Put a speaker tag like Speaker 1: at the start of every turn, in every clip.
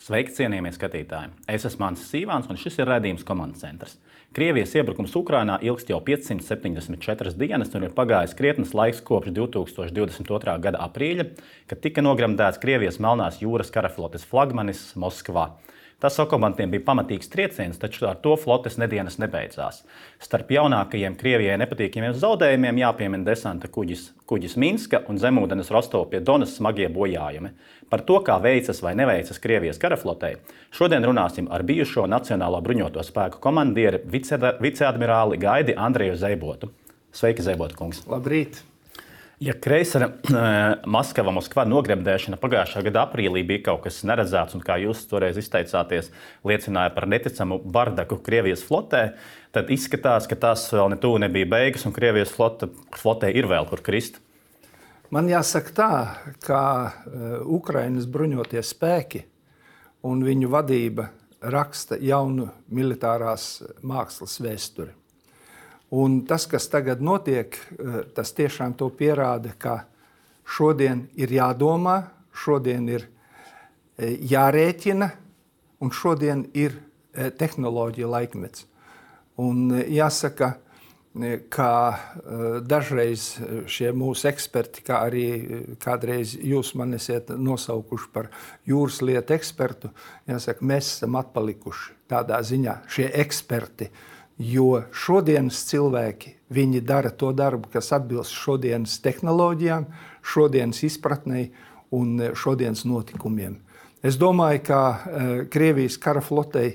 Speaker 1: Sveiki, cienījamie skatītāji! Es esmu Mans Sīvāns, un šis ir raidījums Komandas centrs. Krievijas iebrukums Ukrainā ilgst jau 574 dienas, un ir pagājis krietnes laiks kopš 2022. Gada aprīļa, kad tika nogremdēts Krievijas Melnās jūras karaflotes flagmanis Moskvā. Tas okupantiem bija pamatīgs trieciens, taču ar to flotes nedienas nebeidzās. Starp jaunākajiem Krievijai nepatīkamiem zaudējumiem jāpiemina desanta kuģis Minska un zemūdens Rostova pie Donas smagie bojājumi. Par to, kā veicas vai neveicas Krievijas karaflotei, šodien runāsim ar bijušo Nacionālo bruņoto spēku komandieri viceadmirāli Gaidi Andreju Zeibotu. Sveiki, Zeibota kungs!
Speaker 2: Labrīt!
Speaker 1: Ja kreisera Moskva nogremdēšana pagājušā gada aprīlī bija kaut kas neredzēts un, kā jūs toreiz izteicāties, liecināja par neticamu bardaku Krievijas flotē, tad izskatās, ka tas vēl ne tuvu nebija beigas un Krievijas flotē ir vēl kur krist.
Speaker 2: Man jāsaka tā, ka Ukrainas bruņotie spēki un viņu vadība raksta jaunu militārās mākslas vēsturi. Un tas, kas tagad notiek, tas tiešām to pierāda, ka šodien ir jādomā, šodien ir jārēķina un šodien ir tehnoloģija laikmets. Un jāsaka, ka dažreiz šie mūsu eksperti, kā arī kādreiz jūs man esiet nosaukuši par jūras lietu ekspertu, jāsaka, mēs esam atpalikuši tādā ziņā šie eksperti. Jo šodienas cilvēki, viņi dara to darbu, kas atbilst šodienas tehnoloģijām, šodienas izpratnei un šodienas notikumiem. Es domāju, ka Krievijas kara flotei,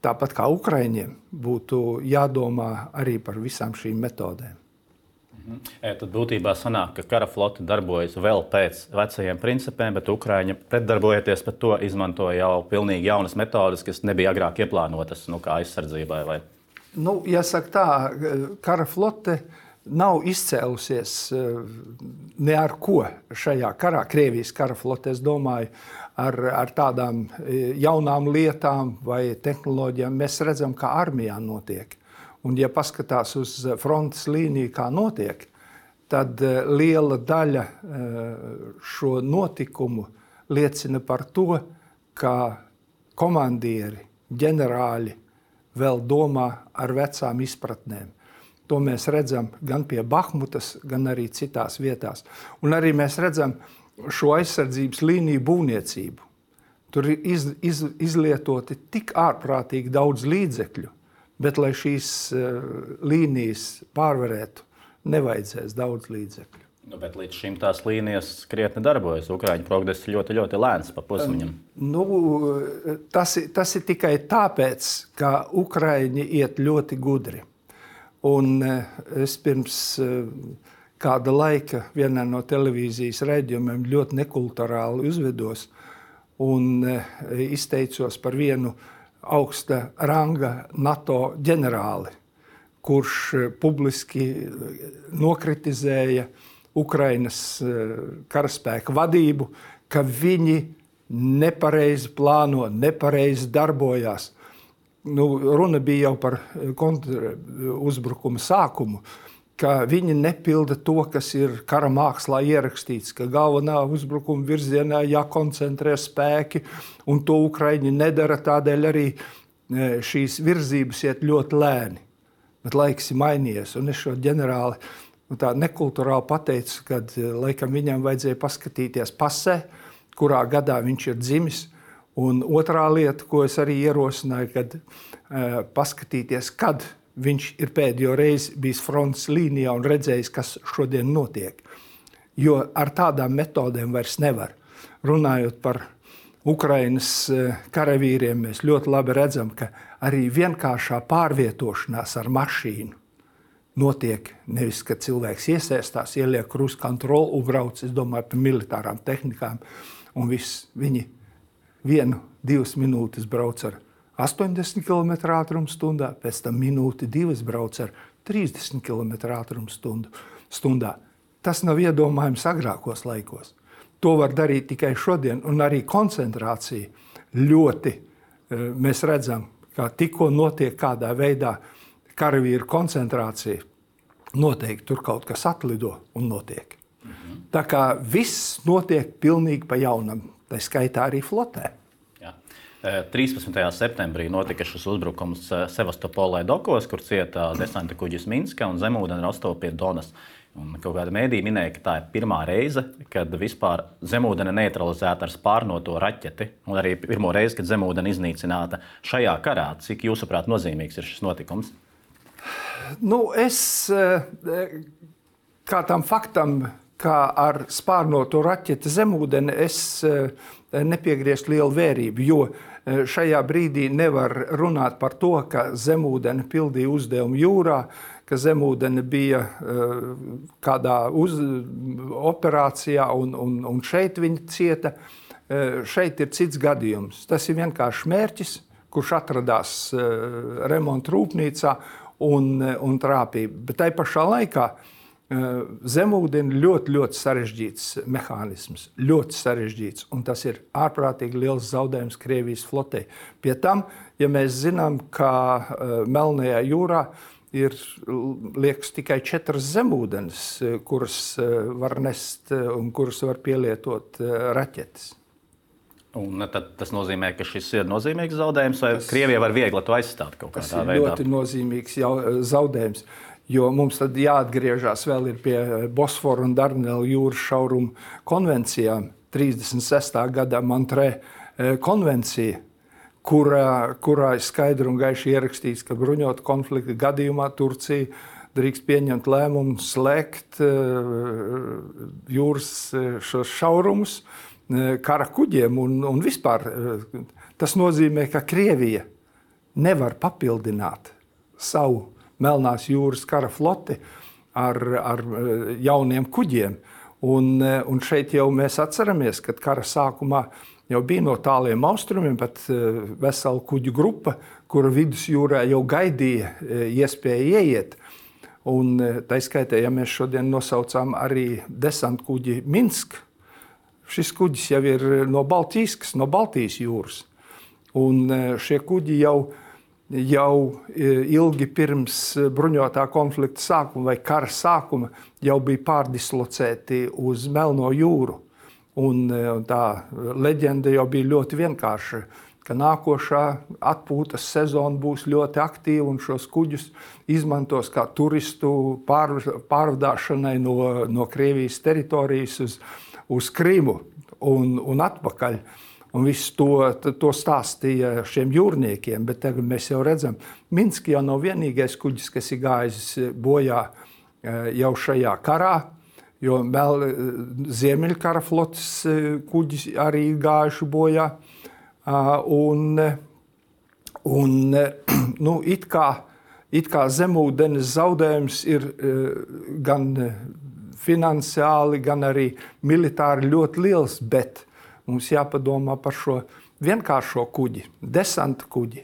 Speaker 2: tāpat kā Ukraiņiem, būtu jādomā arī par visām šīm metodēm.
Speaker 1: Tad būtībā sanāk, ka kara flote darbojas vēl pēc vecajiem principiem, bet Ukraiņi pretdarbojoties par to izmantoja jau pilnīgi jaunas metodes, kas nebija agrāk ieplānotas, kā aizsardzībai vai...
Speaker 2: Jāsaka tā, kara flote nav izcēlusies ne ar ko šajā karā. Krievijas kara flote, es domāju, ar tādām jaunām lietām vai tehnoloģijām. Mēs redzam, kā armijā notiek. Un, ja paskatās uz frontes līniju, kā notiek, tad liela daļa šo notikumu liecina par to, ka komandieri, ģenerāļi vēl domā ar vecām izpratnēm. To mēs redzam gan pie Bahmutas, gan arī citās vietās. Un arī mēs redzam šo aizsardzības līniju būvniecību. Tur ir izlietoti tik ārprātīgi daudz līdzekļu, bet, lai šīs līnijas pārvarētu, nevajadzēs daudz līdzekļu.
Speaker 1: Bet līdz šim tās līnijas krietni darbojas. Ukraiņu progress ļoti, ļoti lēns pa posmiem.
Speaker 2: Tas ir tikai tāpēc, ka Ukraiņi iet ļoti gudri. Un es pirms kāda laika vienā no televīzijas raidījumiem ļoti nekulturāli uzvedos un izteicos par vienu augsta ranga NATO ģenerāli, kurš publiski nokritizēja Ukrainas karaspēka vadību, ka viņi nepareizi plāno, nepareizi darbojās. Runa bija jau par kontruzbrukuma sākumu, ka viņi nepilda to, kas ir kara mākslā ierakstīts, ka galvenā uzbrukuma virzienā jākoncentrē spēki, un to Ukraiņi nedara, tādēļ arī šīs virzības iet ļoti lēni. Bet laiks ir mainījies, un es šo ģenerāli tā nekulturāli pateicu, kad laikam viņam vajadzēja paskatīties pasē, kurā gadā viņš ir dzimis. Un otrā lieta, ko es arī ierosināju, kad paskatīties, kad viņš ir pēdējo reizi bijis frontes līnijā un redzējis, kas šodien notiek. Jo ar tādām metodēm vairs nevar. Runājot par Ukrainas karavīriem, mēs ļoti labi redzam, ka arī vienkāršā pārvietošanās ar mašīnu notiek nevis, kad cilvēks iesaistās, ieliek cruise control un brauc, es domāju, par militārām tehnikām, un viss viņi 1-2 minūtes brauc ar 80 km ātrumstundā, pēc tam minūti 2 brauc ar 30 km ātrumstundā. Tas nav iedomājams agrākos laikos. To var darīt tikai šodien, un arī koncentrācija ļoti, mēs redzam, kā tikko notiek kādā veidā karavīru koncentrācija, noteikti tur kaut kas atlido un notiek. Tā kā viss notiek pilnīgi pa jaunam, tā skaitā arī flotē.
Speaker 1: 13. septembrī notika šis uzbrukums Sevastopolē dokos, kur cieta desanta kuģis Minska un zemūdeni Rostova pie Donas. Un kaut kāda mēdīja minēja, ka tā ir pirmā reize, kad vispār zemūdeni neutralizēta ar spārnoto raķeti, un arī pirmo reizi, kad zemūdeni iznīcināta šajā karā. Cik jūsuprāt nozīmīgs ir šis notikums?
Speaker 2: Es kā tam faktam, kā ar spārnoto raķeti zemūdeni, es nepiegriežu lielu vērību, jo šajā brīdī nevar runāt par to, ka zemūdeni pildīja uzdevumu jūrā, ka zemūdeni bija kādā operācijā un šeit viņi cieta. Šeit ir cits gadījums. Tas ir vienkārši mērķis, kurš atradās remonta rūpnīcā un trāpīja. Bet tai pašā laikā zemūdeni ļoti sarežģīts mehānisms, ļoti sarežģīts, un tas ir ārprātīgi liels zaudējums Krievijas flotei. Pie tam, ja mēs zinām, ka Melnajā jūrā ir, liekas, tikai 4 zemūdenes, kuras var nest un kuras var pielietot raķetes.
Speaker 1: Un tad tas nozīmē, ka šis ir nozīmīgs zaudējums, vai Krievija var viegli to aizstāt kaut kādā veidā?
Speaker 2: Tas ir ļoti nozīmīgs zaudējums. Jo mums tad jāatgriežas vēl ir pie Bosfora un Dardanelu jūras šaurumu konvencijām, 36. gadā Montrē konvencija, kurā ir skaidri un gaiši ierakstīts, ka bruņotu konflikta gadījumā Turcija drīkst pieņemt lēmumu slēgt jūras šos šaurumus kara kuģiem un vispār. Tas nozīmē, ka Krievija nevar papildināt savu Melnās jūras kara floti ar jauniem kuģiem. Un šeit jau mēs atceramies, ka kara sākumā jau bija no tāliem austrumiem pat vesela kuģu grupa, kura vidusjūrā jau gaidīja iespēju ieiet. Un tā skaitā, ja mēs šodien nosaucām arī desantkuģi Minsk, šis kuģis jau ir no Baltijas jūras. Un šie kuģi jau ilgi pirms bruņotā konflikta sākuma vai kara sākuma jau bija pārdislocēti uz Melno jūru. Un tā leģenda jau bija ļoti vienkārša, ka nākošā atpūtas sezona būs ļoti aktīva un šos kuģus izmantos kā turistu pārvadāšanai no Krievijas teritorijas uz Krimu un atpakaļ. Un visu to stāstīja šiem jūrniekiem, bet tagad mēs jau redzam, Minsk jau nav vienīgais kuģis, kas ir gājis bojā jau šajā karā, jo Ziemeļkara flotes kuģis arī gājuši bojā. It kā zemūdenes zaudējums ir gan finansiāli, gan arī militāri ļoti liels, bet mums jāpadomā par šo vienkāršo kuģi, desanta kuģi,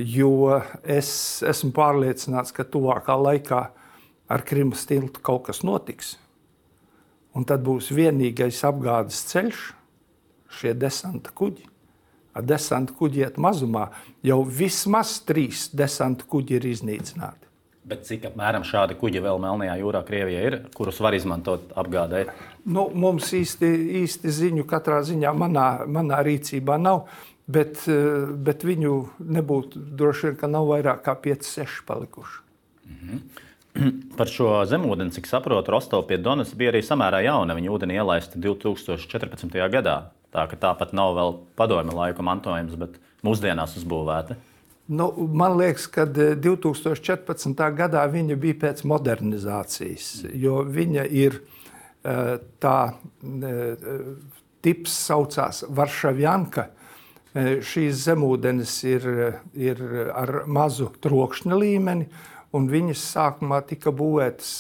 Speaker 2: jo es esmu pārliecināts, ka tuvākā laikā ar Krimas tiltu kaut kas notiks. Un tad būs vienīgais apgādes ceļš, šie desanta kuģi. Ar desanta kuģi iet mazumā, jau vismaz 3 desanta kuģi ir iznīcināti.
Speaker 1: Bet cik apmēram šādi kuģi vēl Melnajā jūrā Krievijā ir, kurus var izmantot apgādē?
Speaker 2: Mums īsti ziņu katrā ziņā manā rīcībā nav, bet viņu nebūtu droši vien, ka nav vairāk kā 5-6 palikuši.
Speaker 1: Par šo zemūdeni, cik saprotu, Rostova pie Donas bija arī samērā jauna. Viņa ūdeni ielaista 2014. gadā. Tā ka tāpat nav vēl padomju laika mantojums, bet mūsdienās uzbūvēta.
Speaker 2: Man liekas, ka 2014. gadā viņa bija pēc modernizācijas, jo viņa ir tā tips saucās Varšavjanka. Šīs zemūdenes ir ar mazu trokšņa līmeni, un viņas sākumā tika būvētas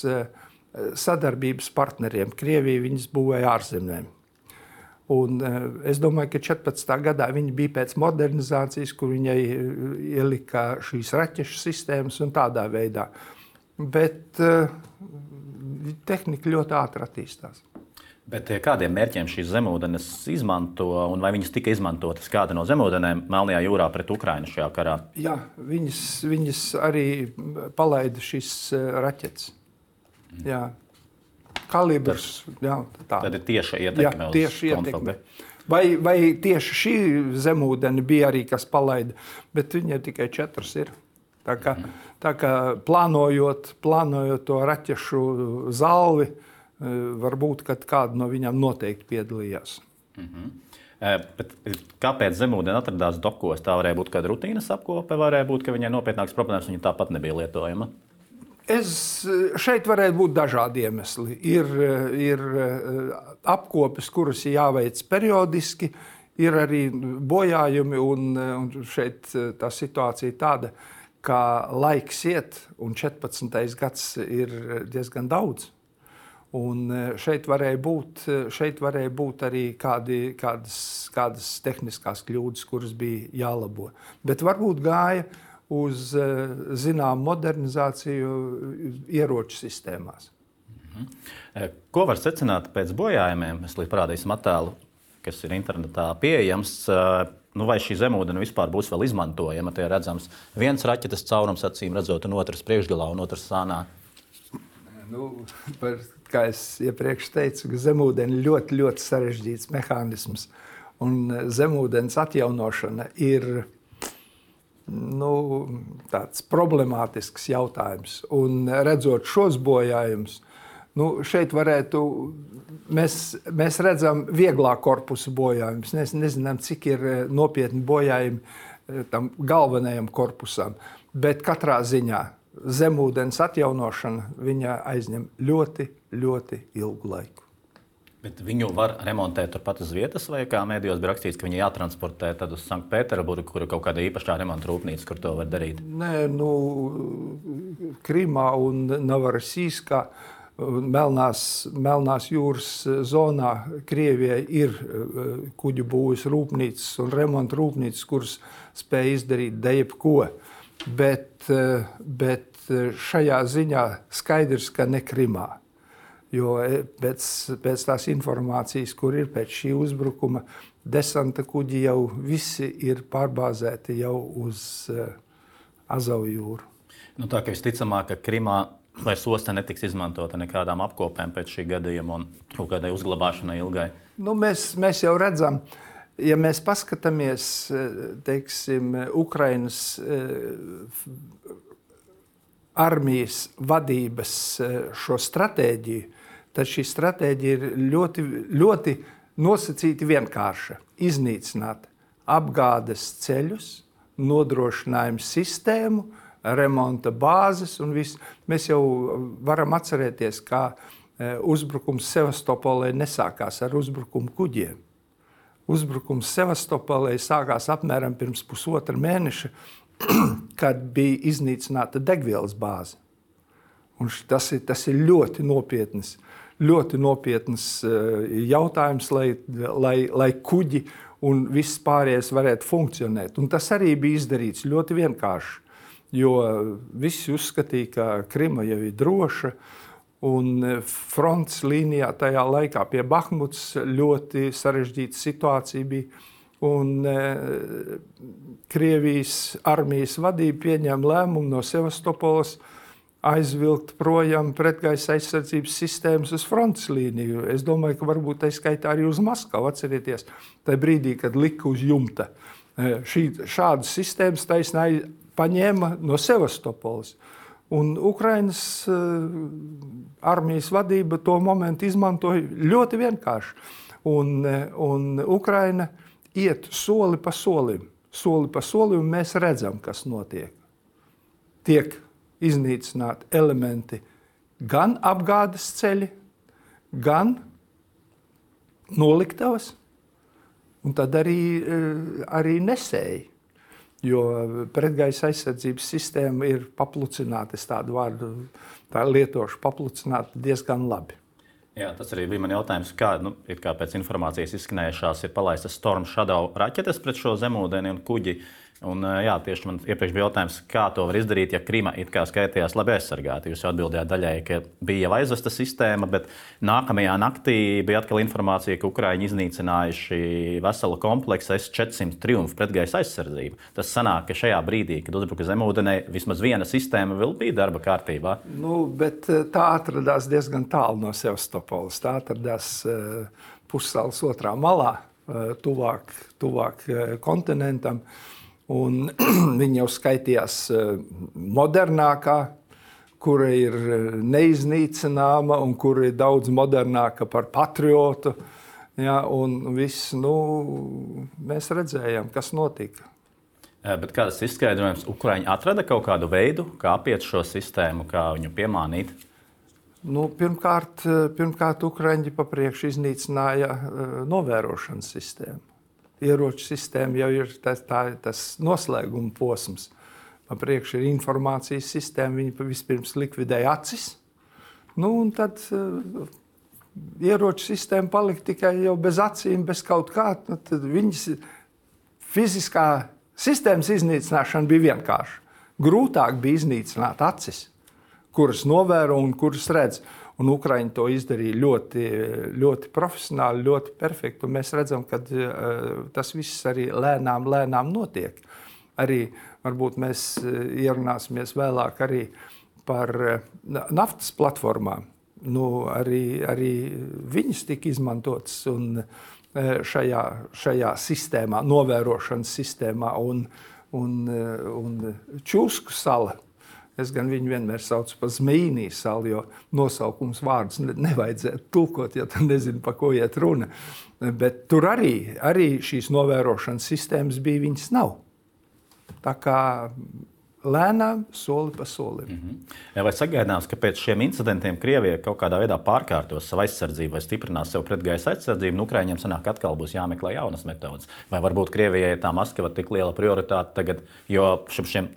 Speaker 2: sadarbības partneriem. Krievija viņas būvēja ārzemēm. Un es domāju, ka 14. gadā viņa bija pēc modernizācijas, kur viņai ielika šīs raķešu sistēmas un tādā veidā. Bet tehnika ļoti ātri attīstās.
Speaker 1: Bet kādiem mērķiem šīs zemūdenes izmanto, un vai viņas tika izmantotas kāda no zemūdenēm Melnajā jūrā pret Ukrainu šajā karā?
Speaker 2: Jā, viņas arī palaida šīs raķetes. Jā. Kalibrs, jā, tā.
Speaker 1: Tad ir tieša ietekme uz konfliktu.
Speaker 2: Vai tieši šī zemūdeni bija arī kas palaida, bet viņai tikai 4 ir. Tā kā plānojot to raķešu zalvi, varbūt, kad kāda no viņām noteikti piedalījās.
Speaker 1: Bet kāpēc zemūdeni atradās dokos? Tā varēja būt kāda rutīnas apkope, varēja būt, ka viņai nopietnākas problēmas, viņa tāpat nebija lietojama.
Speaker 2: Šeit varētu būt dažādi iemesli. Ir apkopes, kuras ir jāveic periodiski, ir arī bojājumi, un šeit tā situācija tāda, ka laiks iet, un 14. gads ir diezgan daudz. Un šeit varēja būt arī kādas tehniskās kļūdas, kuras bija jālabo. Bet varbūt gāja uz zinām modernizāciju ieroču sistēmās.
Speaker 1: Ko var secināt pēc bojājumiem? Mēs parādīsim attēlu, kas ir internetā pieejams. Vai šī zemūdene vispār būs vēl izmantojama? Te ir redzams viens raķetes caurums, acīm redzot, un otrs priekšgalā un otrs sānā.
Speaker 2: Kā es iepriekš teicu, ka zemūdeni ir ļoti, ļoti sarežģīts mehānisms. Un zemūdens atjaunošana ir tāds problemātisks jautājums. Un redzot šos bojājumus, šeit mēs redzam vieglā korpusa bojājumus. Mēs nezinām, cik ir nopietni bojājumi tam galvenajam korpusam. Bet katrā ziņā zemūdens atjaunošana viņa aizņem ļoti, ļoti ilgu laiku.
Speaker 1: Bet viņu var remontēt turpat uz vietas, vai kā mēdījos bija rakstīts, ka viņi jātransportē tad uz Sanktpēterburgu, kur ir kaut kāda īpašā remonta rūpnīca, kur to var darīt?
Speaker 2: Nē, Krimā un Novorosijskā, Melnās jūras zonā Krievijai ir kuģu būves rūpnīcas un remonta rūpnīcas, kuras spēj izdarīt jebko. Bet šajā ziņā skaidrs, ka ne Krimā. Jo pēc tās informācijas, kur ir pēc šī uzbrukuma, desanta kuģi jau visi ir pārbāzēti jau uz Azovu jūru.
Speaker 1: Tā kā visticamāk, ka Krimā vairs osta netiks izmantota nekādām apkopēm pēc šī gadījuma un kaut kādai uzglabāšanai ilgai.
Speaker 2: Mēs jau redzam, ja mēs paskatāmies, teiksim, Ukrainas armijas vadības šo stratēģiju, tad šī stratēģija ir ļoti, ļoti nosacīti vienkārša. Iznīcināt apgādes ceļus, nodrošinājumu sistēmu, remonta bāzes un viss. Mēs jau varam atcerēties, kā uzbrukums Sevastopolē nesākās ar uzbrukumu kuģiem. Uzbrukums Sevastopolē sākās apmēram pirms pusotra mēneša, kad bija iznīcināta degvielas bāze. Un tas ir ļoti nopietns jautājums, lai kuģi un viss pārējais varētu funkcionēt. Un tas arī bija izdarīts ļoti vienkārši, jo visi uzskatīja, ka Krima jau ir droša, un frontes līnijā tajā laikā pie Bahmutas ļoti sarežģīta situācija bija. Un Krievijas armijas vadība pieņēma lēmumu no Sevastopoles aizvilkt projām pretgaisa aizsardzības sistēmas uz frontes līniju. Es domāju, ka varbūt tai skaitā arī uz Maskavu. Atcerieties, tajā brīdī, kad lika uz jumta. Šādas sistēmas taisnēji paņēma no Sevastopoles. Un Ukrainas armijas vadība to momentu izmantoja ļoti vienkārši. Un Ukraina iet soli pa solim, un mēs redzam, kas notiek. Tiek iznīcināti elementi gan apgādes ceļi, gan noliktavas, un tad arī nesēji. Jo pretgaisa aizsardzības sistēma ir paplucināta, es tādu vārdu lietošu, paplucināta diezgan labi.
Speaker 1: Jā, tas arī bija man jautājums, kā pēc informācijas izskanējušās ir palaistas Storm Shadow raķetes pret šo zemūdeni un kuģi. Un, tieši man iepriekš bija jautājums, kā to var izdarīt, ja Krima it kā skaitījās labi aizsargāta. Jūs jau atbildējāt daļai, ka bija jau aizvesta sistēma, bet nākamajā naktī bija atkal informācija, ka Ukraiņi iznīcinājuši veselu kompleksu S-400 Triumph pretgaisa aizsardzību. Tas sanāk, ka šajā brīdī, kad uzbruka zemūdenē, vismaz viena sistēma vēl bija darba kārtībā.
Speaker 2: Bet tā atradās diezgan tālu no Sevastopoles. Tā atradās pussalas otrā malā. tuvāk kontinentam. Un viņa jau skaitījās modernākā, kura ir neiznīcināma un kura ir daudz modernāka par patriotu. Ja, un viss, mēs redzējām, kas notika.
Speaker 1: Bet kāds izskaidrojums, Ukraiņi atrada kaut kādu veidu, kā apiet šo sistēmu, kā viņu piemānīt?
Speaker 2: Pirmkārt, Ukraiņi papriekš iznīcināja novērošanas sistēmu. Ieroču sistēma jau ir tas noslēguma posms. Papriekš ir informācijas sistēma, viņi vispirms likvidēja acis. Un tad ieroču sistēma palika tikai jau bez acīm, bez kaut kā. Tad viņas fiziskā sistēmas iznīcināšana bija vienkārša. Grūtāk bija iznīcināt acis, kuras novēro un kuras redz. Un Ukraiņi to izdarīja ļoti, ļoti profesionāli, ļoti perfekti. Un mēs redzam, ka tas viss arī lēnām notiek. Arī varbūt mēs ierunāsimies vēlāk arī par naftas platformām. Arī viņas tika izmantotas un šajā sistēmā, novērošanas sistēmā un Čusku sala. Es gan viņu vienmēr saucu par Zmejinī salu, jo nosaukums vārdus nevajadzētu tulkot, ja tu nezini, pa ko iet runa. Bet tur arī šīs novērošanas sistēmas bija, viņas nav. Tā kā lēnām, soli pa solim.
Speaker 1: Vai sagaidāms, ka pēc šiem incidentiem Krievija kaut kādā veidā pārkārtos savu aizsardzību vai stiprinās sev pretgaisa aizsardzību, un Ukraiņiem sanāk atkal būs jāmeklē jaunas metodas? Vai varbūt Krievijai tā Maskava tik liela prioritāte tagad, jo šiem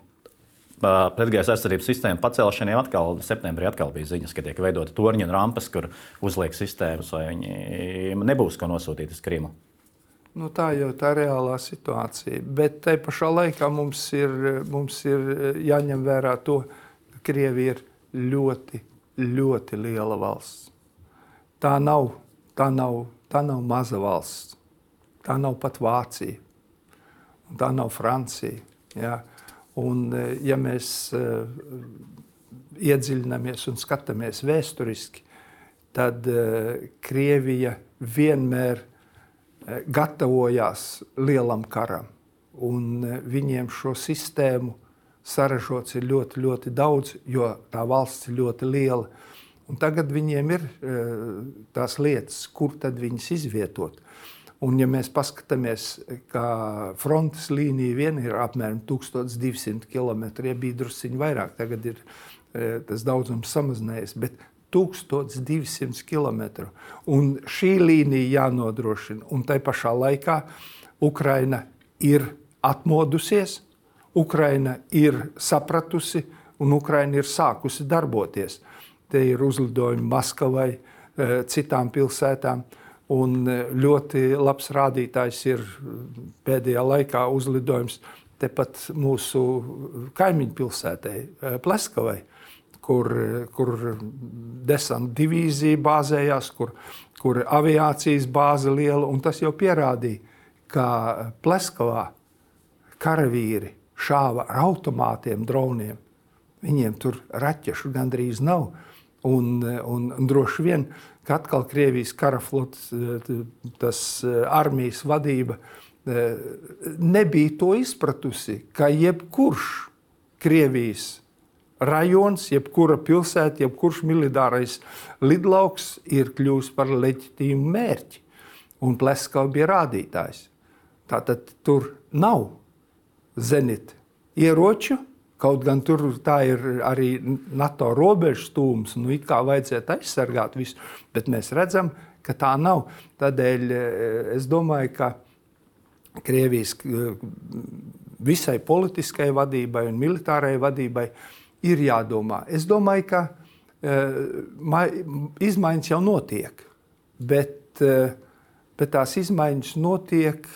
Speaker 1: pretgaisa aizsardzības sistēmu pacelšanai atkal septembrī bija ziņas, ka tiek veidota torņi un rampas, kur uzliek sistēmas, vai viņi nebūs ko nosūtīt uz Krimu?
Speaker 2: Tā jau tā reālā situācija, bet tai pašā laikā mums ir jāņem vērā to, ka Krievija ir ļoti, ļoti liela valsts. Tā nav maza valsts. Tā nav pat Vācija. Un tā nav Francija. Ja? Un ja mēs iedziļinamies un skatāmies vēsturiski, tad Krievija vienmēr gatavojās lielam karam, un viņiem šo sistēmu saražots ir ļoti, ļoti daudz, jo tā valsts ir ļoti liela. Un tagad viņiem ir tās lietas, kur tad viņas izvietot. Un ja mēs paskatāmies, ka frontes līnija vien ir apmēram 1200 km, ja bija drusciņi vairāk, tagad ir tas daudzums samazinājies, bet 1200 km. Un šī līnija jānodrošina. Un tai pašā laikā Ukraina ir atmodusies, Ukraina ir sapratusi un Ukraina ir sākusi darboties. Te ir uzlidojumi Maskavai, citām pilsētām. Un ļoti labs rādītājs ir pēdējā laikā uzlidojums tepat mūsu kaimiņu pilsētai, Pleskavai, kur desanta divīzija bāzējās, kur aviācijas bāze liela, un tas jau pierādīja, ka Pleskavā karavīri šāva ar automātiem, droniem. Viņiem tur raķešu gandrīz nav, un droši vien, ka atkal Krievijas karaflotes, tas armijas vadība nebija to izpratusi, ka jebkurš Krievijas rajons, jebkura pilsēta, jebkurš militārais lidlauks ir kļūst par leģitīmu mērķi. Un Pleskava bija rādītājs. Tātad tur nav zenita ieroču, kaut gan tur tā ir arī NATO robežu stūms, it kā vajadzētu aizsargāt visu, bet mēs redzam, ka tā nav. Tādēļ es domāju, ka Krievijas visai politiskai vadībai un militārai vadībai ir jādomā. Es domāju, ka izmaiņas jau notiek, bet tās izmaiņas notiek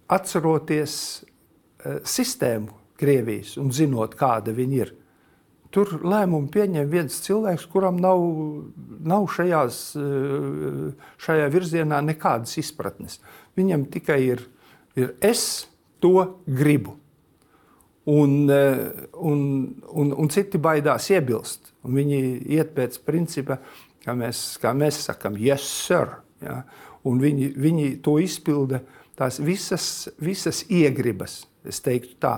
Speaker 2: atceroties sistēmu Krievijas un zinot, kāda viņi ir. Tur lēmumu pieņem viens cilvēks, kuram nav šajā virzienā nekādas izpratnes. Viņam tikai ir es to gribu. Un citi baidās iebilst. Un viņi iet pēc principa, kā mēs sakam, yes, sir. Ja? un viņi to izpilda tās visas iegribas, es teiktu tā,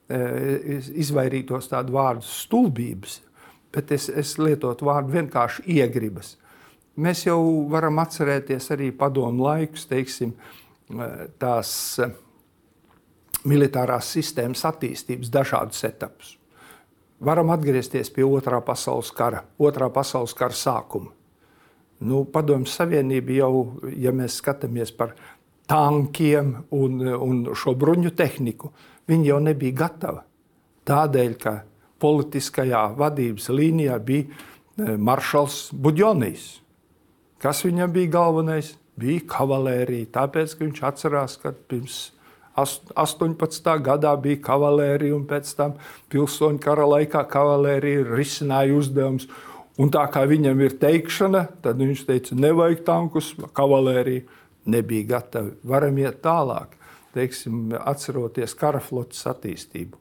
Speaker 2: izvairītos tādu vārdu stulbības, bet es lietotu vārdu vienkārši iegribas. Mēs jau varam atcerēties arī padomu laikus, teiksim, tās militārās sistēmas attīstības dažādus etapus. Varam atgriezties pie Otrā pasaules kara sākuma. Padomju Savienība jau, ja mēs skatāmies par tankiem un šo bruņu tehniku, viņi jau nebija gatava. Tādēļ, ka politiskajā vadības līnijā bija maršals Budjonijs. Kas viņam bija galvenais? Bija kavalērija, tāpēc, ka viņš atcerās, ka pirms 18. gadā bija kavalērija, un pēc tam pilsoņu kara laikā kavalērija risināja uzdevums. Un tā kā viņam ir teikšana, tad viņš teica, nevajag tankus, kavalērija nebija gatava. Varam iet tālāk, teiksim, atceroties kara flotes attīstību.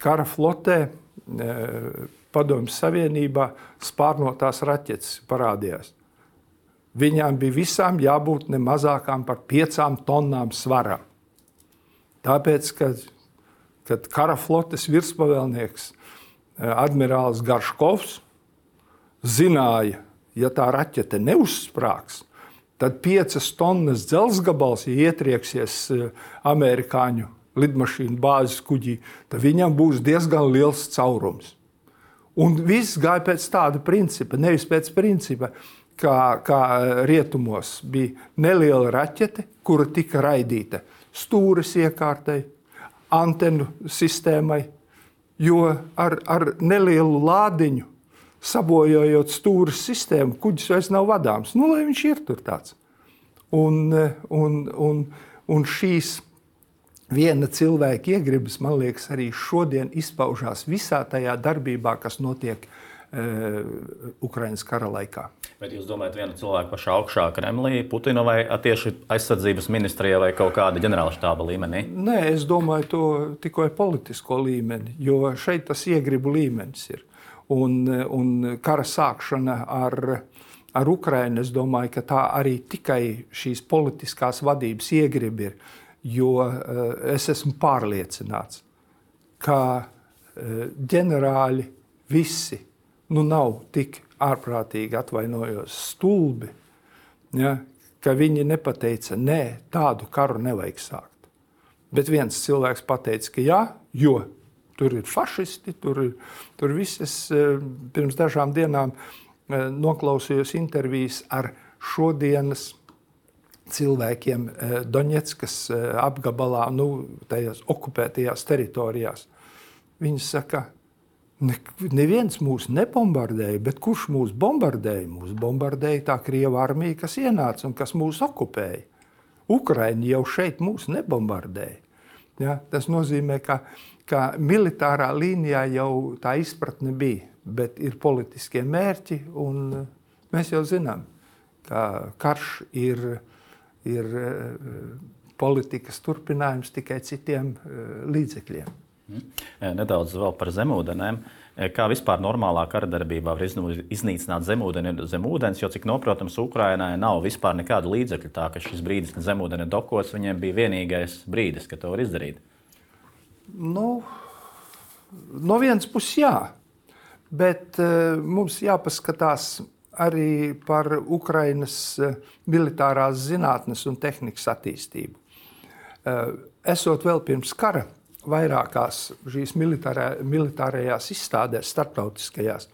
Speaker 2: Kara flotē Padomju Savienībā spārnotās raķetes parādījās. Viņām bija visām jābūt ne mazākām par 5 tonnām svara. Tāpēc, kad kara flotes virspavēlnieks admirālis Garškovs zināja, ja tā raķete neuzsprāgs, tad 5 tonnas dzelzgabals, ja ietrieksies amerikāņu lidmašīnu bāzes kuģī, tad viņam būs diezgan liels caurums. Un viss gāja pēc tāda principa, nevis pēc principa, kā rietumos bija neliela raķete, kura tika raidīta stūres iekārtai, antenu sistēmai, jo ar nelielu lādiņu, sabojājot stūres sistēmu, kuģis vairs nav vadāms. Lai viņš ir tur tāds. Un šīs viena cilvēka iegribas, man liekas, arī šodien izpaužās visā tajā darbībā, kas notiek Ukrainas kara laikā.
Speaker 1: Bet jūs domājat, viena cilvēka pašā augšā Kremlī, Putina vai tieši aizsardzības ministrijā vai kaut kāda ģenerāla štāba līmenī?
Speaker 2: Nē, es domāju to tikai politisko līmeni, jo šeit tas iegribu līmenis ir. Un kara sākšana ar Ukrainu, es domāju, ka tā arī tikai šīs politiskās vadības iegribi ir, jo es esmu pārliecināts, ka ģenerāļi visi nav tik ārprātīgi, atvainojos, stulbi, ja, ka viņi nepateica, nē, tādu karu nevajag sākt. Bet viens cilvēks pateica, ka jā, jo tur ir fašisti, tur visas pirms dažām dienām noklausījos intervijas ar šodienas cilvēkiem Doņetskas apgabalā, tajās okupētajās teritorijās. Viņi saka, neviens mūs nebombardēja, bet kurš mūs bombardēja? Mūs bombardēja tā Krieva armija, kas ienāca un kas mūs okupēja. Ukraiņi jau šeit mūs nebombardēja. Ja, tas nozīmē, ka militārā līnijā jau tā izpratne bija, bet ir politiskie mērķi, un mēs jau zinām, ka karš ir politikas turpinājums tikai citiem līdzekļiem.
Speaker 1: Nedaudz vēl par zemūdenēm. Kā vispār normālā kara darbībā var iznīcināt zemūdeni zem ūdens, jo, cik noprotams, Ukrainai nav vispār nekādu līdzekļu, tā ka šis brīdis, kad zemūdeni dokos, viņiem bija vienīgais brīdis, kad to var izdarīt.
Speaker 2: No vienas puses jā, bet mums jāpaskatās arī par Ukrainas militārās zinātnes un tehnikas attīstību. Esot vēl pirms kara, vairākās šīs militārajās izstādēs, starptautiskajās,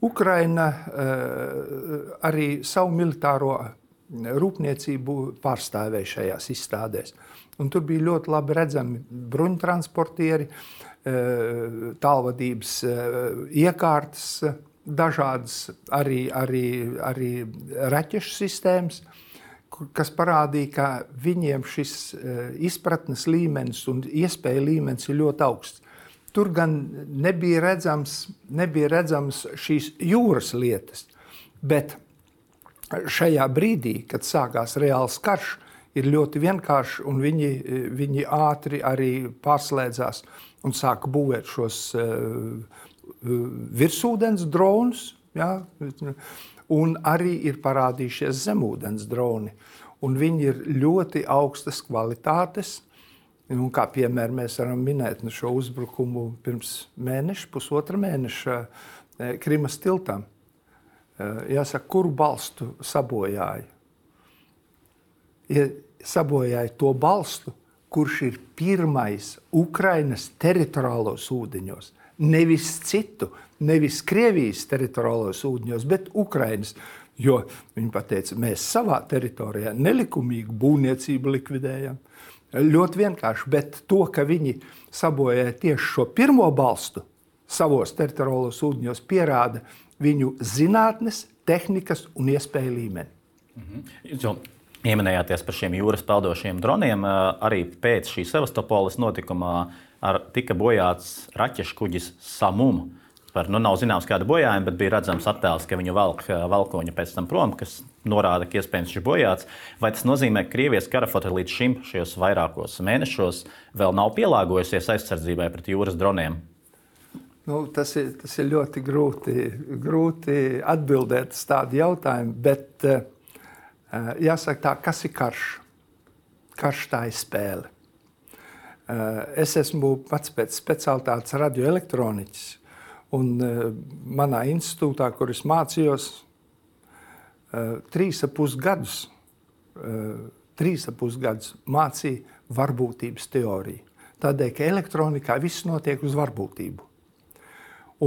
Speaker 2: Ukraina arī savu militāro rūpniecību pārstāvēja šajās izstādēs. Un tur bija ļoti labi redzami bruņtransportieri, tālvadības iekārtas, dažādas arī raķešu sistēmas, kas parādīja, ka viņiem šis izpratnes līmenis un iespēja līmenis ir ļoti augsts. Tur gan nebija redzams šīs jūras lietas, bet šajā brīdī, kad sākās reāls karš, ir ļoti vienkārši, un viņi ātri arī pārslēdzās un sāka būvēt šos virsūdens dronus, ja, un arī ir parādījušies zemūdens droni. un viņi ir ļoti augstas kvalitātes. Un kā piemēram mēs varam minēt šo uzbrukumu pirms pusotra mēneša Krimas tiltam. Jāsaka, kuru balstu sabojāja? Sabojāja to balstu, kurš ir pirmais Ukrainas teritoriālos ūdeņos. Nevis citu, nevis Krievijas teritoriālos ūdeņos, bet Ukrainas. Jo viņi pateica, mēs savā teritorijā nelikumīgu būvniecību likvidējam. Ļoti vienkārši, bet to, ka viņi sabojāja tieši šo pirmo balstu savos teritoriālos ūdeņos, pierāda viņu zinātnes, tehnikas un iespēju līmeni.
Speaker 1: Jūs jau ieminējāties par šiem jūras peldošiem droniem. Arī pēc šī Sevastopoles notikumā tika bojāts raķešu kuģis Samum. Nav zināms, kāda bojājuma, bet bija redzams attēls, ka viņu valkoņa pēc tam prom, kas norāda, ka iespējams viņš bojāts. Vai tas nozīmē, ka Krievijas karaflote līdz šim šajos vairākos mēnešos vēl nav pielāgojusies aizsardzībai pret jūras droniem?
Speaker 2: Tas ir ļoti grūti atbildēt uz tādu jautājumu, bet jāsaka tā, kas ir karš? Karš tā ir spēle. Es esmu pats pēc specialitātes radioelektroniķis. Un manā institūtā, kur es mācījos, 3,5 gadus mācīja varbūtības teoriju. Tādēļ, ka elektronikā viss notiek uz varbūtību.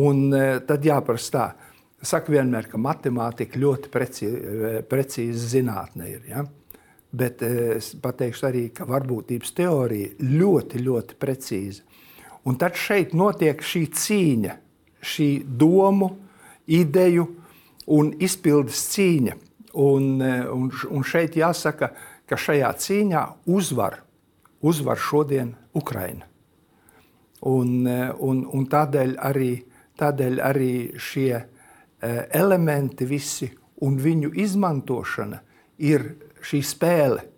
Speaker 2: Un tad jāprasa tā. Saka vienmēr, ka matemātika ļoti precīza zinātne ir. Ja? Bet es pateikšu arī, ka varbūtības teorija ļoti, ļoti precīza. Un tad šeit notiek šī cīņa. Šī domu, ideju un izpildes cīņa. Un šeit jāsaka, ka šajā cīņā uzvar šodien Ukraina. Un tādēļ arī šie elementi visi un viņu izmantošana ir šī spēle.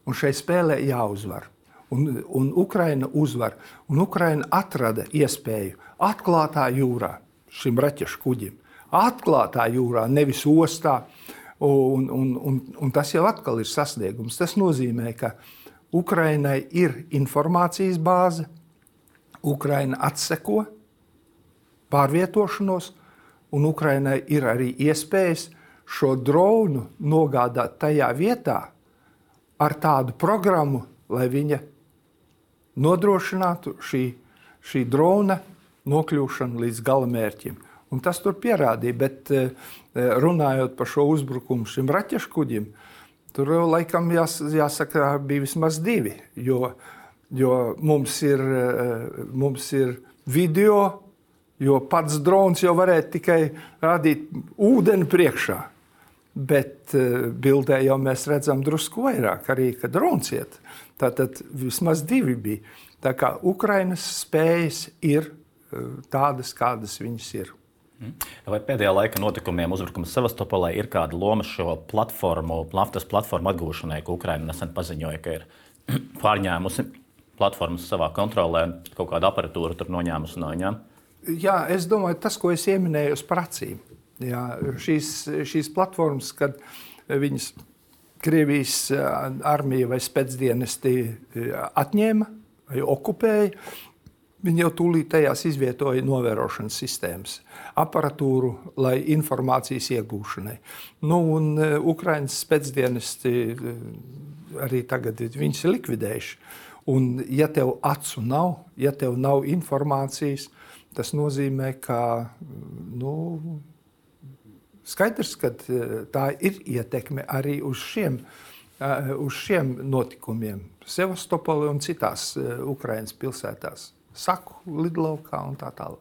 Speaker 2: Un šai spēlē jāuzvar. Un Ukraina uzvar. Un Ukraina atrada iespēju atklātā jūrā šim raķešu kuģim. Atklātā jūrā, nevis ostā. Un tas jau atkal ir sasniegums. Tas nozīmē, ka Ukrainai ir informācijas bāze, Ukraina atseko pārvietošanos, un Ukrainai ir arī iespējas šo dronu nogādāt tajā vietā ar tādu programmu, lai viņa nodrošinātu šī drona nokļūšanu līdz galamērķim. Un tas tur pierādīja, bet runājot par šo uzbrukumu šim raķešu kuģim, tur laikam jāsaka bija vismaz 2, jo mums ir video, jo pats drons jau varētu tikai rādīt ūdeni priekšā. Bet bildē jau mēs redzam drusku vairāk, arī, ka drons iet. Tātad vismaz 2 bija. Tā kā Ukrainas spējas ir tādas, kādas viņas ir.
Speaker 1: Vai pēdējā laika notikumiem uzbrukums Sevastopolē ir kāda loma šo naftas platformu atgūšanai, ko Ukraina nesen paziņoja, ka ir pārņēmusi platformas savā kontrolē un kaut kādu aparatūru tur noņēmusi no viņām?
Speaker 2: Jā, es domāju, tas, ko es ieminēju uz pracīm. Jā, šīs platformas, kad viņas Krievijas armija vai spēcdienesti atņēma vai okupēja, viņi jau tūlīt tajās izvietoja novērošanas sistēmas, aparatūru, lai informācijas iegūšanai. Un Ukrainas spēcdienesti arī tagad viņas ir likvidējuši. Un ja tev acu nav, ja tev nav informācijas, tas nozīmē, ka skaidrs, ka tā ir ietekme arī uz šiem notikumiem. Sevastopolē un citās Ukrainas pilsētās. Saku, lidlaukā un tā tālāk.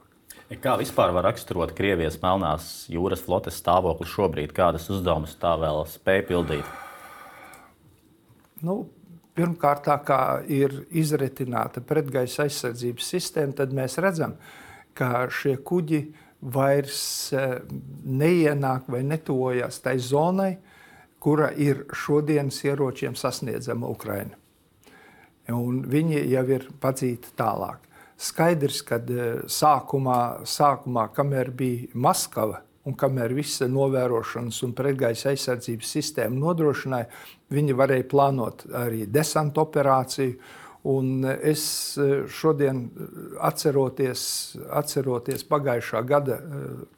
Speaker 1: Kā vispār var raksturot Krievijas Melnās jūras flotes stāvokli šobrīd? Kādas uzdevumus tā vēl spēj pildīt?
Speaker 2: Pirmkārt, tā kā ir izretināta pretgaisa aizsardzības sistēma, tad mēs redzam, ka šie kuģi vairs neienāk vai netuvojās tai zonai, kura ir šodienas ieročiem sasniedzama Ukraina. Un viņi jau ir padzīti tālāk. Skaidrs, ka sākumā, kamēr bija Maskava, un kamēr visa novērošanas un pretgaisa aizsardzības sistēma nodrošināja, viņi varēja plānot arī desanta operāciju. Un es šodien atceroties pagājušā gada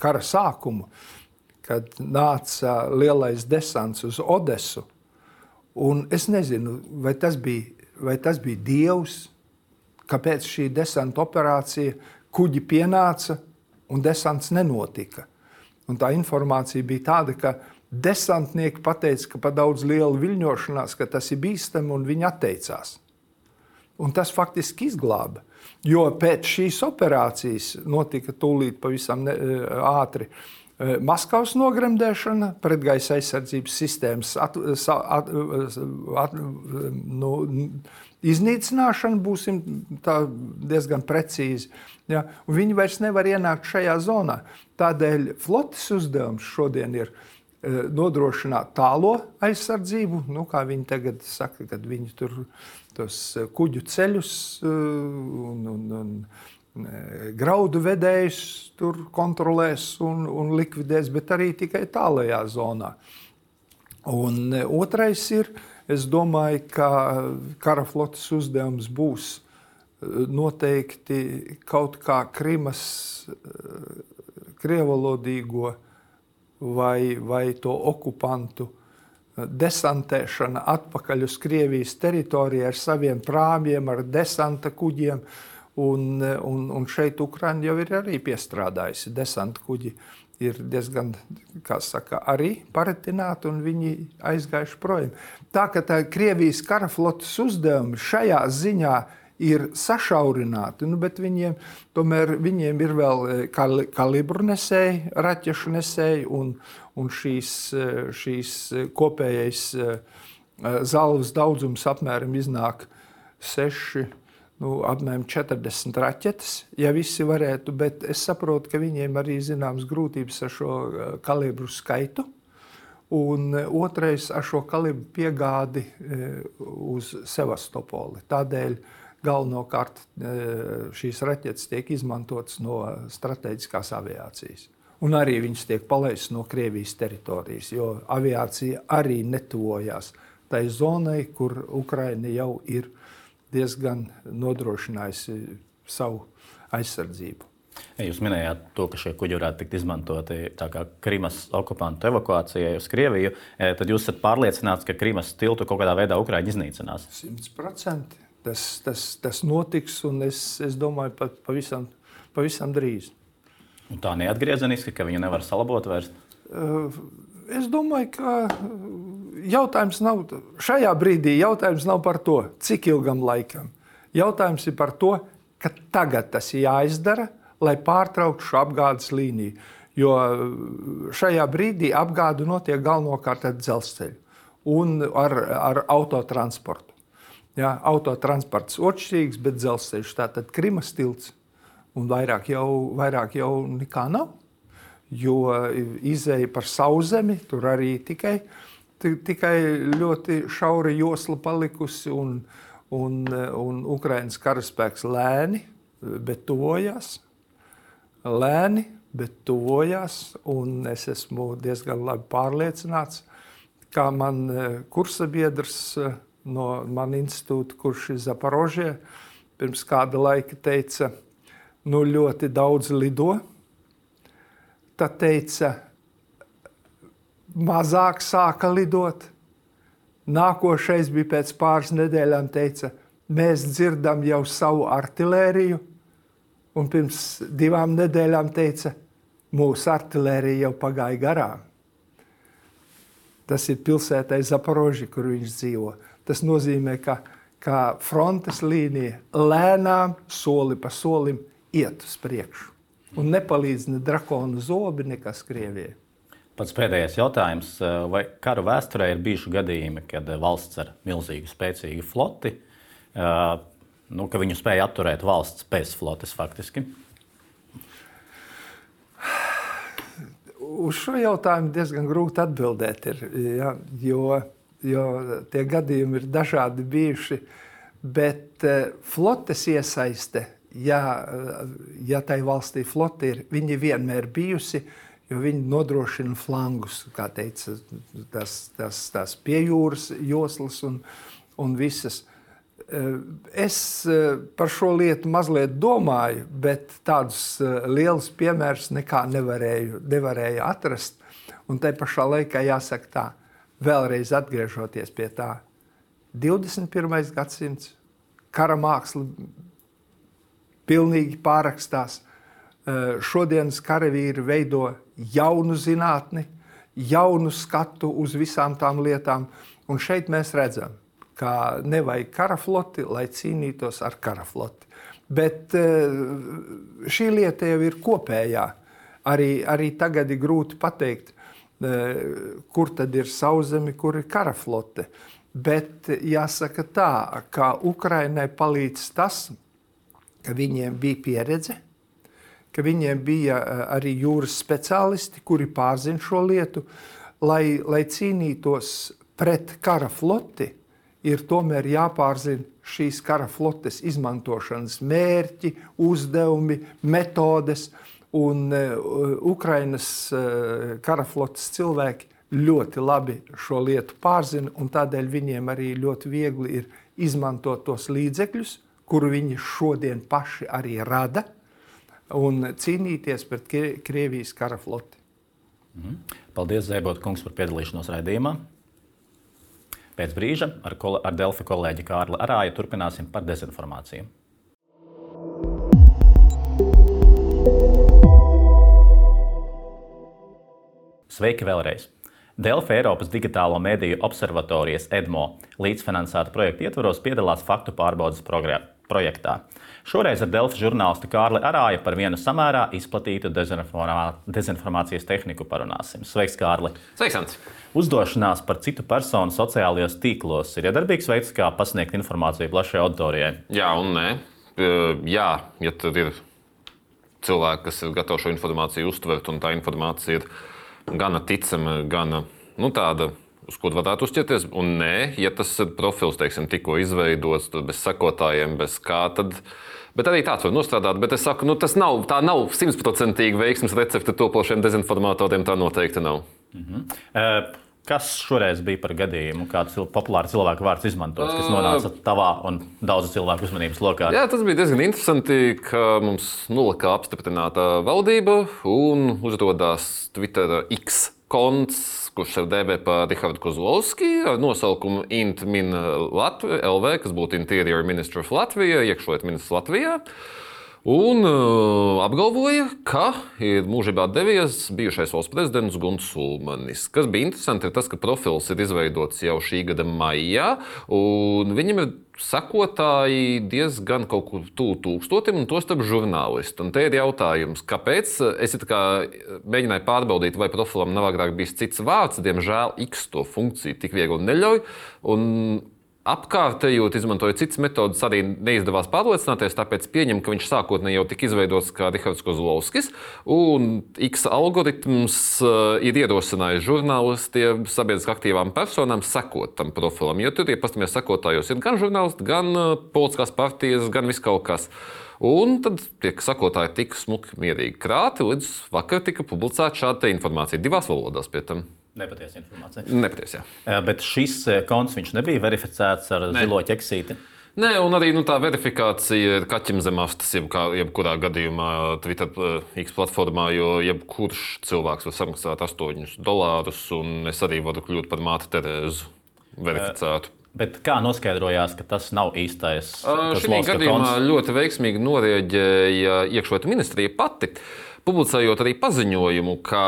Speaker 2: kara sākumu, kad nāca lielais desants uz Odesu, un es nezinu, vai tas bija Dievs, kāpēc šī desanta operācija kuģi pienāca un desants nenotika. Un tā informācija bija tāda, ka desantnieki pateica, ka pa daudz liela viļņošanās, ka tas ir bīstami, un viņi atteicās. Un tas faktiski izglāba, jo pēc šīs operācijas notika tūlīt pavisam ātri Maskavas nogremdēšana, pretgaisa aizsardzības sistēmas iznīcināšana, būsim tā diezgan precīzi. Ja? Un viņi vairs nevar ienākt šajā zonā. Tādēļ flotes uzdevums šodien ir nodrošināt tālo aizsardzību, kā viņi tagad saka, kad viņi tur tos kuģu ceļus un graudu vedējus tur kontrolēs un likvidēs, bet arī tikai tālajā zonā. Un otrais ir, es domāju, ka kara flotes uzdevums būs noteikti kaut kā Krimas krievalodīgo vai to okupantu desantēšana atpakaļ uz Krievijas teritoriju ar saviem prāmjiem, ar desanta kuģiem. Un šeit Ukraina jau ir arī piestrādājusi. Desanta kuģi ir diezgan, kā saka, arī paretināti, un viņi aizgājuši projām. Tā Krievijas kara flotes uzdevumi šajā ziņā ir sašaurināti, bet viņiem ir vēl kalibru nesēji, raķešu nesēji, un šīs kopējais zalvas daudzums apmēram iznāk 6, apmēram 40 raķetes, ja visi varētu, bet es saprotu, ka viņiem arī zināmas grūtības ar šo kalibru skaitu, un otrais ar šo kalibru piegādi uz Sevastopoli. Tādēļ galvenokārt šīs raķetes tiek izmantotas no strateģiskās aviācijas. Un arī viņas tiek palaistas no Krievijas teritorijas, jo aviācija arī netuvojās tai zonai, kur Ukraina jau ir diezgan nodrošinājusi savu aizsardzību.
Speaker 1: Jūs minējāt to, ka šie kuģi varētu tikt izmantoti tā kā Krimas okupantu evakuācijai uz Krieviju. Tad jūs esat pārliecināts, ka Krimas tiltu kaut kādā veidā Ukraiņa iznīcinās?
Speaker 2: 100%. Tas notiks, un es domāju, pat pavisam drīz.
Speaker 1: Un tā neatgriezeniski, ka viņu nevar salabot vairs?
Speaker 2: Es domāju, ka šajā brīdī jautājums nav par to, cik ilgam laikam. Jautājums ir par to, ka tagad tas ir jāizdara, lai pārtrauktu šo apgādes līniju. Jo šajā brīdī apgāde notiek galvenokārt ar dzelzceļu un ar autotransportu. Ja, autotransports otršķirīgs, bet dzelzceļš, tātad Krimas tilts, un vairāk jau nekā nav. Jo izeja par Sauszemi, tur arī tikai ļoti šaura josla palikusi, un Ukrainas karaspēks lēni, bet tuvojās. Un es esmu diezgan labi pārliecināts, kā man kursabiedrs no man institūta, kurš ir Zaporožie, pirms kāda laika teica, ļoti daudz lido. Tad teica, mazāk sāka lidot. Nākošais bija pēc pāris nedēļām, teica, mēs dzirdam jau savu artilēriju. Un pirms 2 nedēļām teica, mūsu artilērija jau pagāja garām. Tas ir pilsētai Zaporoži, kur viņš dzīvo. Tas nozīmē, ka frontes līnija lēnām, soli pa solim iet uz priekšu. Un nepalīdz ne drakonu zobi, nekas Krievijai.
Speaker 1: Pats pēdējais jautājums. Vai karu vēsturē ir bijuši gadījumi, kad valsts ar milzīgu, spēcīgu floti, ka viņu spēja atturēt valsts bez flotes faktiski?
Speaker 2: Uz šo jautājumu diezgan grūti atbildēt ir, jo tie gadījumi ir dažādi bijuši, bet flotes iesaiste, ja tai valstī flote ir, viņa vienmēr bijusi, jo viņi nodrošina flangus, kā teica, tās piejūras joslas un visas. Es par šo lietu mazliet domāju, bet tādus lielus piemērus nekā nevarēju atrast. Un tai pašā laikā jāsaka tā, vēlreiz atgriežoties pie tā, 21. gadsimts, kara māksla pilnīgi pārrakstās. Šodienas karavīri veido jaunu zinātni, jaunu skatu uz visām tām lietām. Un šeit mēs redzam, ka nevajag karafloti, lai cīnītos ar karafloti. Bet šī lieta jau ir kopējā. Arī tagad ir grūti pateikt, kur tad ir sauszemi, kur ir karaflote. Bet jāsaka tā, ka Ukrainai palīdz tas, ka viņiem bija pieredze, ka viņiem bija arī jūras speciālisti, kuri pārzina šo lietu, lai cīnītos pret kara floti, ir tomēr jāpārzina šīs kara flotes izmantošanas mērķi, uzdevumi, metodes, un Ukrainas kara flotes cilvēki ļoti labi šo lietu pārzina, un tādēļ viņiem arī ļoti viegli ir izmantot tos līdzekļus, kuru viņi šodien paši arī rada, un cīnīties pret Krievijas kara floti.
Speaker 1: Paldies, Zēbota kungs, par piedalīšanos raidījumā. Pēc brīža ar Delfi kolēģi Kārli Arāju turpināsim par dezinformāciju. Sveiki vēlreiz! Delfi Eiropas digitālo mediju observatorijas EDMO līdzfinansēta projekta ietvaros piedalās faktu pārbaudes projektā. Šoreiz ar Delfi žurnālistu Kārli Arāju par vienu samērā izplatītu dezinformācijas tehniku parunāsim. Sveiks, Kārli!
Speaker 3: Sveiks, Ants!
Speaker 1: Uzdošanās par citu personu sociālajos tīklos ir iedarbīgs veids, kā pasniegt informāciju plašai auditorijai.
Speaker 3: Jā un nē. Jā, ja tad ir cilvēki, kas ir gatavi šo informāciju uztvert, un tā informācija ir gana ticama, gana tāda, uz ko varētu uzķerties. Un nē, ja tas ir profils, teiksim, tikko izveidots, bez sekotājiem, bez kā, tad... Bet arī tāds var nostrādāt, bet es saku, tā nav 100% veiksmes recepte topošiem dezinformatoriem, tā noteikti nav.
Speaker 1: Kas šoreiz bija par gadījumu, kāds populārs cilvēku vārds izmantots, kas nonāca tavā un daudzu cilvēku uzmanības lokā?
Speaker 3: Jā, tas bija diezgan interesanti, ka mums nolikā apstiprināta valdība un uzrodās Twitter X konts, kurš ir dēbē par Rihardu Kozlovski ar nosaukumu IntMin LV, kas būtu Interior Minister of Latvija, iekšlietu ministrs Latvijā. Un apgalvoja, ka ir mūžībā devies bijušais valsts prezidents Gunts Ulmanis. Kas bija interesanti, ir tas, ka profils ir izveidots jau šī gada maijā, un viņam ir sekotāji diezgan kaut kur tuvu 1000, un tostarp žurnālisti. Un te ir jautājums, kāpēc? Es mēģināju pārbaudīt, vai profilam nav agrāk bijis cits vārds. Diemžēl X to funkciju tik viegli neļauj. Un apkārtējot, izmantojot citas metodas, arī neizdevās pārliecināties, tāpēc pieņem, ka viņš sākotnēji jau tika izveidots kā Rihards Kozlovskis, un X algoritms ir ierosinājis žurnālistiem, sabiedriski aktīvām personām sekot tam profilam, jo tur, ja pastamies sekotājos, ir gan žurnālisti, gan politiskās partijas, gan viskaut kas. Un tad tie sekotāji tika smuki mierīgi krāti, līdz vakar tika publicēta šāda informācija 2 valodās pie tam.
Speaker 1: Nepatiesa informācija.
Speaker 3: Nepatiesa, jā.
Speaker 1: Bet šis konts viņš nebija verificēts ar zilo ķeksīti?
Speaker 3: Nē, un arī tā verifikācija ir kaķim zem astes, jebkurā gadījumā Twitter X platformā, jo jebkurš cilvēks var samaksāt $8, un es arī varu kļūt par māti Terēzu verificētu.
Speaker 1: Bet kā noskaidrojās, ka tas nav īstais
Speaker 3: Šī gadījumā ļoti veiksmīgi norēģēja iekšlietu ministrija pati, publicējot arī paziņojumu, ka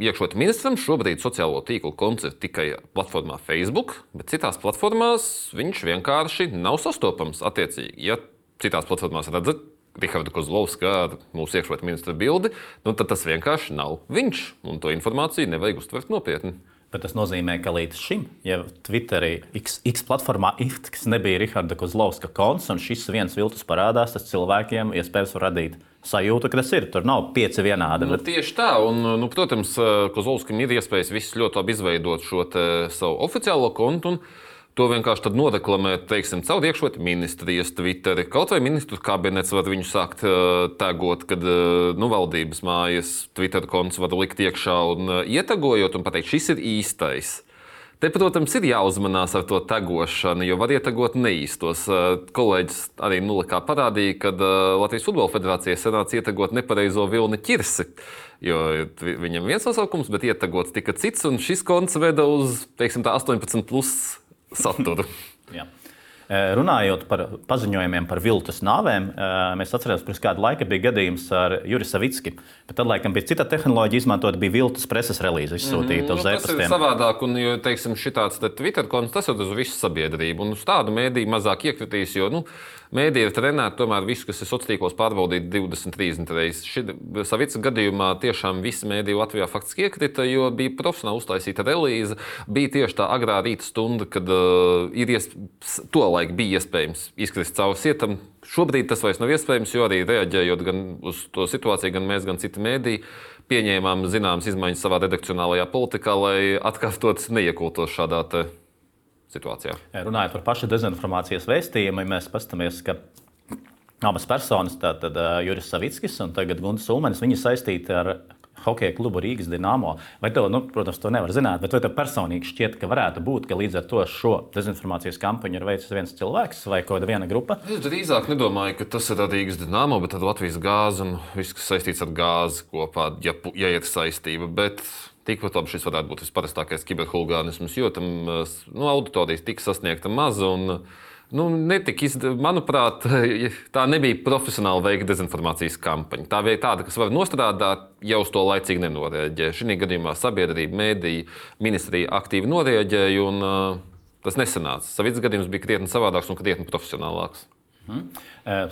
Speaker 3: iekšlietu ministram šobrīd sociālo tīklu konts ir tikai platformā Facebook, bet citās platformās viņš vienkārši nav sastopams. Attiecīgi, ja citās platformās redzat Rihardu Kozlovski ar mūsu iekšlietu ministra bildi, tad tas vienkārši nav viņš, un to informāciju nevajag uztvert nopietni.
Speaker 1: Bet tas nozīmē, ka līdz šim, ja Twitterī X platformā nebija Riharda Kozlovska konts, un šis viens viltus parādās, tas cilvēkiem iespējams var radīt sajūtu, ka tas ir. Tur nav 5 vienādi.
Speaker 3: Tieši tā, un, protams, Kozlovskim ir iespējas viss ļoti labi izveidot šo savu oficiālo kontu, un to vienkārši noreklamēt, teiksim, caur iekšlietu ministrijas Twitteri. Kaut vai ministru kabinets var viņu sākt tagot, kad valdības mājas Twitter konts var likt iekšā un ietagojot un pateikt, šis ir īstais. Te, protams, ir jāuzmanās ar to tagošanu, jo var ietagot neīstos. Kolēģis arī nulikā parādīja, ka Latvijas Futbola federācijai sanāca ietagot nepareizo Vilni Ķirsi, jo viņam viens nosaukums, bet ietagots tika cits, un šis konts veda uz, teiksim, tā 18+ saturu.
Speaker 1: Jā. Runājot par paziņojumiem par viltus nāvēm, mēs atceramies, pirms kāda laika bija gadījums ar Juri Savicki. Bet tad, laikam, bija cita tehnoloģija izmantot, bija viltus preses relīze izsūtīta uz e-pastiem.
Speaker 3: Tas ir savādāk, un, jo, teiksim, šitāds Twitter konts, tas ir uz visu sabiedrību. Un uz tādu mēdīju mazāk iekritīs, jo, mēdīja ir trenēta tomēr visu, kas ir sociālos tīklos pārbaudīt 20-30 reizes. Savicka gadījumā tiešām visi mēdīji Latvijā faktiski iekrita, jo bija profesionāli uztaisīta relīze. Bija tieši tā agrā rīta stunda, kad tolaik bija iespējams izkrist cauri sietam. Šobrīd tas vairs nav iespējams, jo arī reaģējot gan uz to situāciju, gan mēs, gan citi mēdīji, pieņēmām zināmas izmaiņas savā redakcionālajā politikā, lai atkārtot neiekultos šādā situācijā.
Speaker 1: Runājot par pašu dezinformācijas vēstījumu, mēs paskatāmies, ka abas personas, tātad Juris Savickis un tagad Guntis Ulmanis, viņi saistīti ar hokeja klubu Rīgas Dinamo. Vai tev, protams, to nevar zināt, bet vai tev personīgi šķiet, ka varētu būt, ka līdz ar to šo dezinformācijas kampaņu ir veicis viens cilvēks vai kāda viena grupa?
Speaker 3: Es drīzāk nedomāju, ka tas ir Rīgas Dinamo, bet Latvijas gāze un viss, kas saistīts ar gāzi kopā, ja ir saistība. Bet tikpat labi šis varētu būt visparastākais kiberhulgānisms, jo tam auditorijas tika sasniegta maza un manuprāt, tā nebija profesionāli veikta dezinformācijas kampaņa. Tā bija tāda, kas var nostrādāt, ja uz to laicīgi nenorēģē. Šī gadījumā sabiedrība, mēdīja, ministrija aktīvi norēģēja, un tas nesanāca. Savicka gadījums bija krietni savādāks un krietni profesionālāks.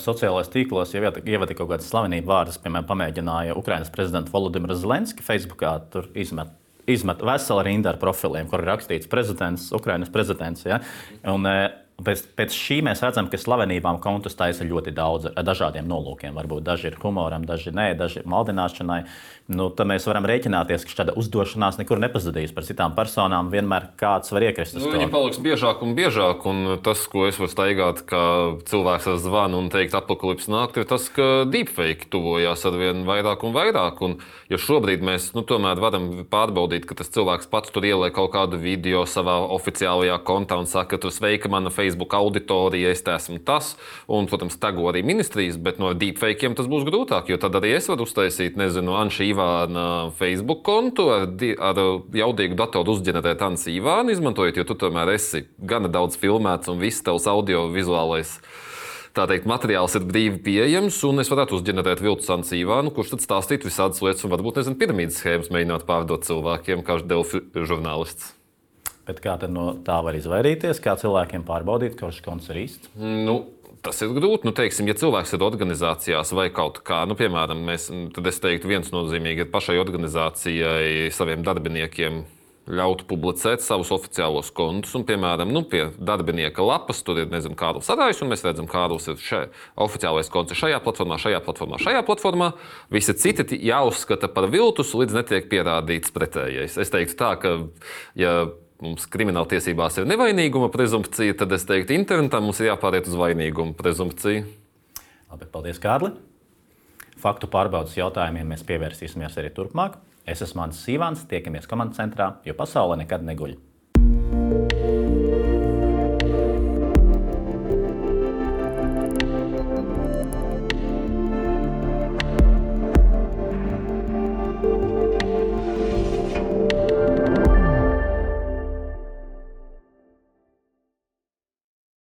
Speaker 1: Sociālajos tīklos jau ievada kaut kādas slavenību vārdus, piemēram, pamēģināja Ukrainas prezidents Volodimirs Zelenskis Facebookā tur izmet veselu rindu ar profiliem, kur ir rakstīts prezidents, Ukrainas prezidents. Ja? Un, pēc šī mēs redzam, ka slavenībām kontus taisa ļoti daudz ar dažādiem nolūkiem. Varbūt daži ir humoram, daži nē, daži maldināšanai. Tad mēs varam rēķināties, ka šāda uzdošanās nekur nepazudīs. Par citām personām vienmēr kāds var iekrist uz to.
Speaker 3: Viņi paliks biežāk un biežāk, un tas, ko es varu staigāt, ka cilvēks ar zvanu un teikt apokalipses nākt, ir tas, ka deepfake tuvojās arvien vairāk un vairāk. Un, ja šobrīd mēs tomēr varam pārbaudīt, ka tas cilvēks pats tur ieliek kaut kādu video savā oficiālajā kontā un saka, ka tur sveika mana Facebook auditorija, es esmu tas, un, protams, tago arī ministrijas, bet no deepfakiem tas būs grūtāk, jo tad arī es varu uztaisīt, Anša Ivāna Facebook kontu ar jaudīgu datoru uzģenerēt Ansa Ivānu izmantojot, jo tu tomēr esi gana daudz filmēts un viss tavs audiovizuālais materiāls ir brīvi pieejams, un es varētu uzģenerēt viltus Ansa Ivānu, kurš tad stāstītu visādas lietas un varbūt, piramīdas schēmas mēģināt pārdot cilvēkiem, kā Delfi žurnālists.
Speaker 1: Bet kā tad no tā var izvairīties? Kā cilvēkiem pārbaudīt, ka šis konts ir īsts?
Speaker 3: Tas ir grūti. Teiksim, ja cilvēks ir organizācijās vai kaut kā, piemēram, tad es teiktu, viens nozīmīgi ir pašai organizācijai, saviem darbiniekiem ļaut publicēt savus oficiālos kontus. Un, piemēram, pie darbinieka lapas tur ir, Kārlis Arājs, un mēs redzam, Kārlis ir oficiālais konts šajā platformā. Visi citi jāuzskata par viltus, līdz netiek pierādīts pretējais. Es teiktu tā, ka, ja mums krimināltiesībās ir nevainīguma prezumpcija, tad es teiktu, internetā mums ir jāpāriet uz vainīguma prezumpciju.
Speaker 1: Labi, paldies, Kārli. Faktu pārbaudas jautājumiem mēs pievērsīsimies arī turpmāk. Es esmu Mans Sīvāns, tiekamies komandas centrā, jo pasaule nekad neguļ.